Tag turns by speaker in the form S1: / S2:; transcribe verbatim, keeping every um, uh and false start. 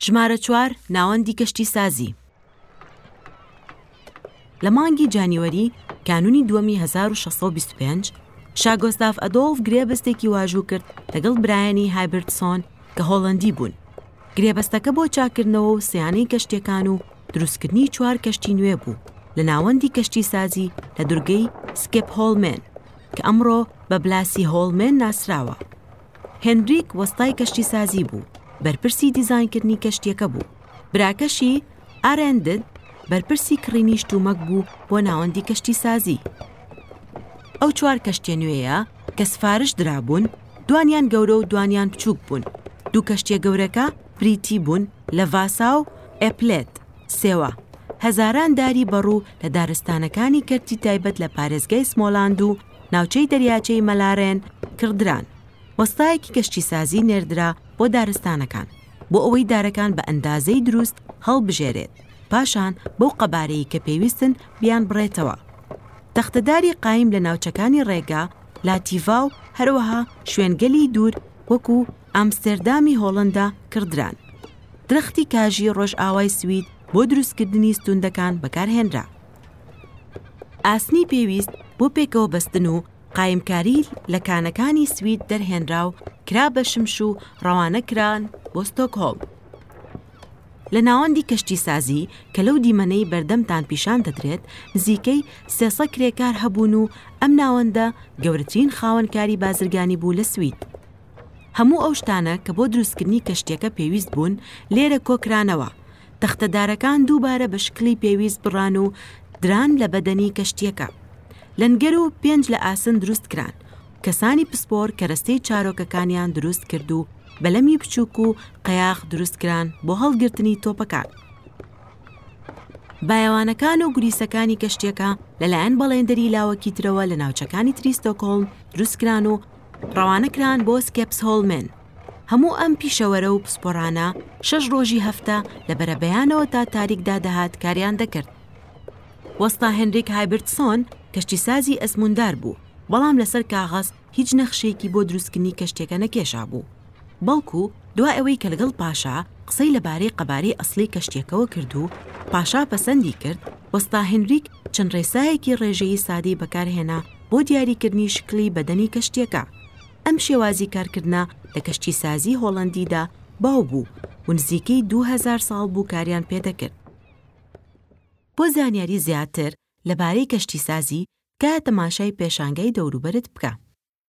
S1: ژمارە چوار ناوەندی کەشتیسازی. لە مانگی جانیوەری کانونی دووەمی هەزار و شەش سەد و بیست و پێنج شا گۆستاف ئەدۆڵف گرێبەستێکی واژوو کرد لەگەڵ برایانی هایبرتسۆن کە هۆڵەندی بوون. گرێبەستەکە بۆ چاکردنەوە و سیانەی کەشتیەکان و دروستکردنی چوار کەشتی نوێ بوو لە ناوەندی کەشتیسازی لە دورگەی سکێپهۆڵمێن کە ئەمڕۆ بە بلاسی هۆڵمێن ناسراوە. هێنریک وەستای کەشتیسازی بوو، بەرپرسی دیزاینکردنی کەشتیەکە بوو. براکەشی ئارێندد بەرپرسی کڕینی شتومەک بوو بۆ ناوەندی کەشتیسازی. ئەو چوار کەشتیە نوێیە کە سفارش درابوون، دوانیان گەورە و دوانیان بچووک بوون. دوو کەشتیە گەورەکە بریتی بوون لە ڤاسا و ئێپلێت سێوە. هەزاران داری بەڕوو لە دارستانەکانی کەرتی تایبەت لە پارێزگای سمۆلاند و ناوچەی دەریاچەی مەلارێن کڕدران. وەستایەکی کەشتیسازی نێردرا بۆ دارستانەکان بۆ ئەوەی دارەکان بە ئەندازەی دروست هەڵبژێرێت، پاشان بەو قەبارەی کە پێویستن بیان بڕێتەوە. تەختەداری قایم لە ناوچەکانی ڕێگا، لاتیڤا و هەروەها شوێنگەلی دوور وەکو ئەمستەردامی هۆڵندا کڕدران. درەختی کاژی ڕۆژئاوای سوید بۆ دروستکردنی ستوندەکان بەکارهێنرا. ئاسنی پێویست بۆ پێکەوە بەستن و قایمکاری لە کانەکانی سوید دەرهێنرا و کرا بە شمش و ڕەوانە کران بۆ ستۆکهۆڵم. لە ناوەندی کەشتیسازی کە لەو دیمەنەی بەردەمتان پیشان دەدرێت، نزیکەی سێسەد کرێکار هەبوون و ئەم ناوەندە گەورەترین خاوەنکاری بازرگانی بوو لە سوید. هەموو ئەو شتانە کە بۆ دروستکردنی کەشتیەکە پێویست بوون لێرە کۆکرانەوە. تەختەدارەکان دووبارە بە شکلی پێویست بڕان و دران لە بەدەنی کەشتیەکە. لەنگەر و پێنج لە ئاسن دروست کران. کەسانی پسپۆر کەرەستەی چارۆکەکانیان دروست کرد و بەلەمی بچووک و قەیاغ دروست کران بۆ هەڵگرتنی تۆپەکان. بایەوانەکان و گوریسەکانی کەشتیەکە لەلایەن بەڵێندەری لاوەکی ترەوە لە ناوچەکانی تری ستۆکهۆڵم دروست کران و ڕەوانە کران بۆ سکێپسهۆڵمێن. هەموو ئەم پیشەوەرە و پسپۆڕانە شەش ڕۆژی هەفتە لە بەرەبەیانەوە تا تاریکدا دەهات کاریان دەکرد. وەستا هێنریک هایبرتسۆن کەشتیسازی ئەزموندار بوو، بەڵام لەسەر کاغەز هیچ نەخشەیەکی بۆ دروستکردنی کەشتیەکە نەکێشا بوو. بەڵکو دوای ئەوەی کە لەگەڵ پاشا قسەی لەبارەی قەبارەی ئەسلی کەشتیەکەوە کرد و پاشا پەسەندی کرد، وەستا هێنریک چەند ڕێسایەکی ڕێژەیی سادەی بەکارهێنا بۆ دیاریکردنی شکلی بەدەنی کەشتیەکە. ئەم شێوازی کارکردنە لە کەشتیسازی هۆڵەندیدا باو بوو و نزیکەی دوو هەزار ساڵ بوو کاریان پێدەکرد. بۆ زانیاری زیاتر لەبارەی کەشتیسازی، تکایە تەماشای پێشانگای دەوروبەرت بکە.